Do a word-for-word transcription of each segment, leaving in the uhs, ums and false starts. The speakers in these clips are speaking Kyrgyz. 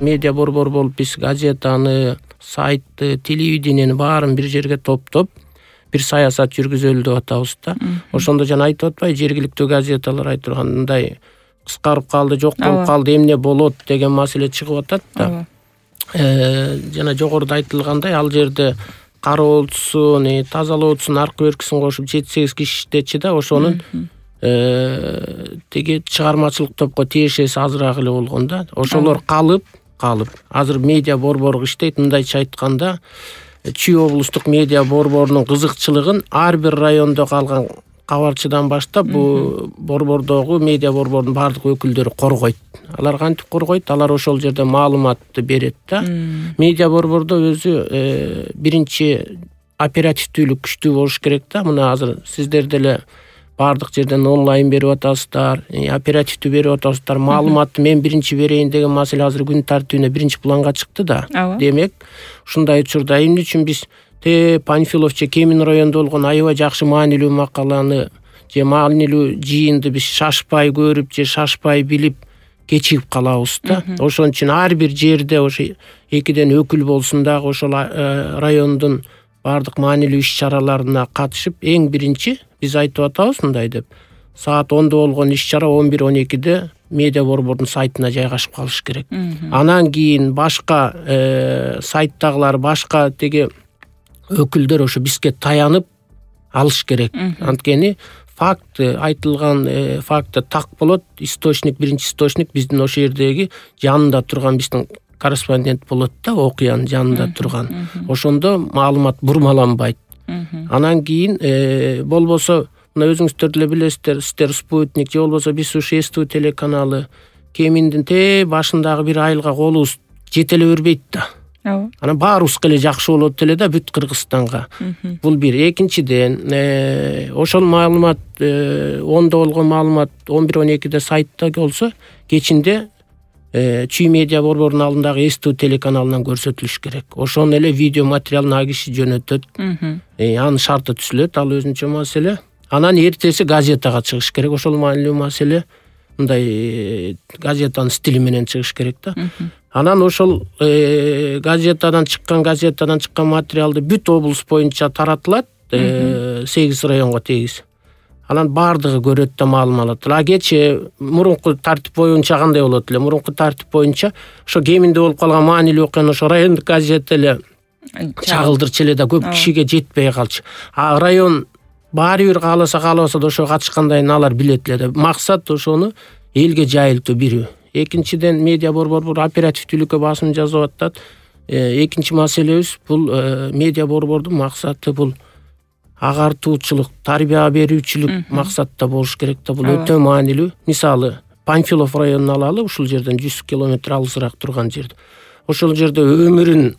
медиа борбор болуп биз газетаны, сайтты, телевидениени баарын бир жерге топтоп бир саясат жүргүзөлү деп атабыз да. Ошондо жана айтып атпайбы, жергиликтүү газеталар айтып тургандай кыскарып калды, жок болуп калды, эмне болот деген маселе чыгып атат да. Э, жана жогоруда айтылгандай, ал жерде кароолчусун, тазалоочусун, аркы беркисин кошуп жети сегиз киши иштечи да, ошонун тиги чыгармачылык топко тиешеси азыраак эле болгон да. Ошолор калып, калып. Азыр медиа борбору иштейт. Мындайча айтканда, Чүй облустук медиа борборунун кызыкчылыгын ар бир райондо калган кабарчыдан баштап бул борбордогу медиа борбордун баардык өкүлдөрү коргойт. Алар кантип коргойт? Алар ошол жерде маалыматты берет да. Медиа борбордо өзү биринчи оперативдүүлүк күчтүү болуш керек да. Мына азыр сиздер деле баардык жерден онлайн берип атасыздар, оперативдүү берип атасыздар. Маалыматты мен биринчи берейин деген маселе азыр күн тартибине биринчи планга чыкты да. Демек, ушундай учурда эмне үчүн биз те Панфилов же Кемин районунда болгон аябай жакшы маанилүү макаланы же маанилүү жыйынды биз шашпай көрүп же шашпай билип кечигип калабыз да. Ошон үчүн ар бир жерде ошо экиден өкүл болсун дагы ошол райондун баардык маанилүү иш-чараларына катышып, эң биринчи биз айтып атабыз мындай деп, саат ондо болгон иш-чара он бир он экиде медиа борбордун сайтына жайгашып калыш керек. Анан кийин башка сайттагылар, башка теги өкүлдөр ошо бизге таянып алыш керек. Анткени факты, айтылган факты так болот. Источник, биринчи источник биздин ошо жердеги жанында турган биздин корреспондент болот да, окуянын жанында турган. Ошондо маалымат бурмаланбайт. Анан кийин болбосо, мына өзүңүздөр деле билесиздер, сиздер Спутник же болбосо биз ушу СТУ телеканалы Кеминдин те башындагы бир айылга колубуз жете эле бербейт да. Анан баарыбызга эле жакшы болот эле да, бүт Кыргызстанга. Бул бир. Экинчиден, ошол маалымат ондо болгон маалымат он бир он экиде сайтта болсо, кечинде Чүй медиа борборунун алдындагы СТУ телеканалынан көрсөтүлүш керек. Ошону эле видео материалын а киши жөнөтөт. Анын шарты түзүлөт, ал өзүнчө маселе. Анан эртеси газетага чыгыш керек. Ошол маанилүү маселе. Мындай газетанын стили менен чыгыш керек да. Анан ошол газетадан чыккан, газетадан чыккан материалды бүт облус боюнча таратылат, сегиз районго тегиз. Анан баардыгы көрөт да, маалым алат. А кечээ мурунку тартип боюнча кандай болот эле? Мурунку тартип боюнча ошо Кеминде болуп калган маанилүү окуяны ошо райондук газет эле чагылдырчу эле да, көп кишиге жетпей калчу. А район баары бир кааласа каалабаса да ошо катышкандайын алар билет эле да. Максат ошону элге жайылтуу бир. Экинчиден, медиа борбор оперативдүүлүккө басым жазып атат. Экинчи маселебиз бул медиа борбордун максаты бул агартуучулук, тарбия берүүчүлүк максатта болуш керек да. Бул өтө маанилүү. Мисалы, Панфилов районун алалы, ушул жерден жүз километр алысыраак турган жерде. Ошол жерде өмүрүн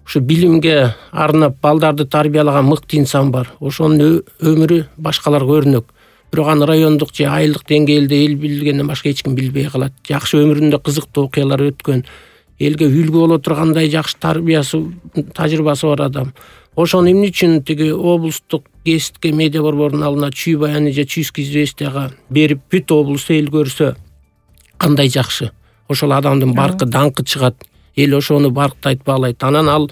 ушу билимге арнап балдарды тарбиялаган мыкты инсан бар. Ошонун өмүрү башкаларга өрнөк. Бирок аны райондук же айылдык деңгээлде эл билгенден башка эч ким билбей калат. Жакшы өмүрүндө кызыктуу окуялар өткөн, элге үлгү боло тургандай жакшы тарбиясы, тажрыйбасы бар адам. Ошону эмне үчүн тиги облустук гезитке медиа борборунун алдына Чүй баяны же Чүйский известияга берип бүт облус эл көрсө кандай жакшы. Ошол адамдын баркы даңкы чыгат. Эл ошону барктайт, баалайт. Анан ал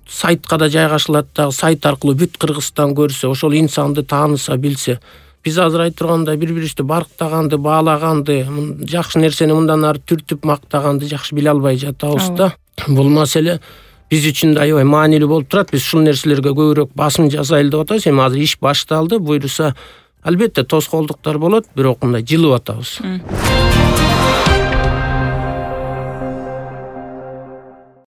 сайтка да жайгашылат да, сайт аркылуу бүт Кыргызстан көрсө, ошол инсанды тааныса, билсе. Биз азыр айтып тургандай бири-бирибизди барктаганды, баалаганды, жакшы нерсени мындан ары түртүп мактаганды жакшы биле албай жатабыз да. Бул маселе биз үчүн да аябай маанилүү болуп турат. Биз ушул нерселерге көбүрөөк басым жасайлы деп атабыз. Эми азыр иш башталды. Буюрса, албетте тоскоолдуктар болот, бирок мындай жылып атабыз.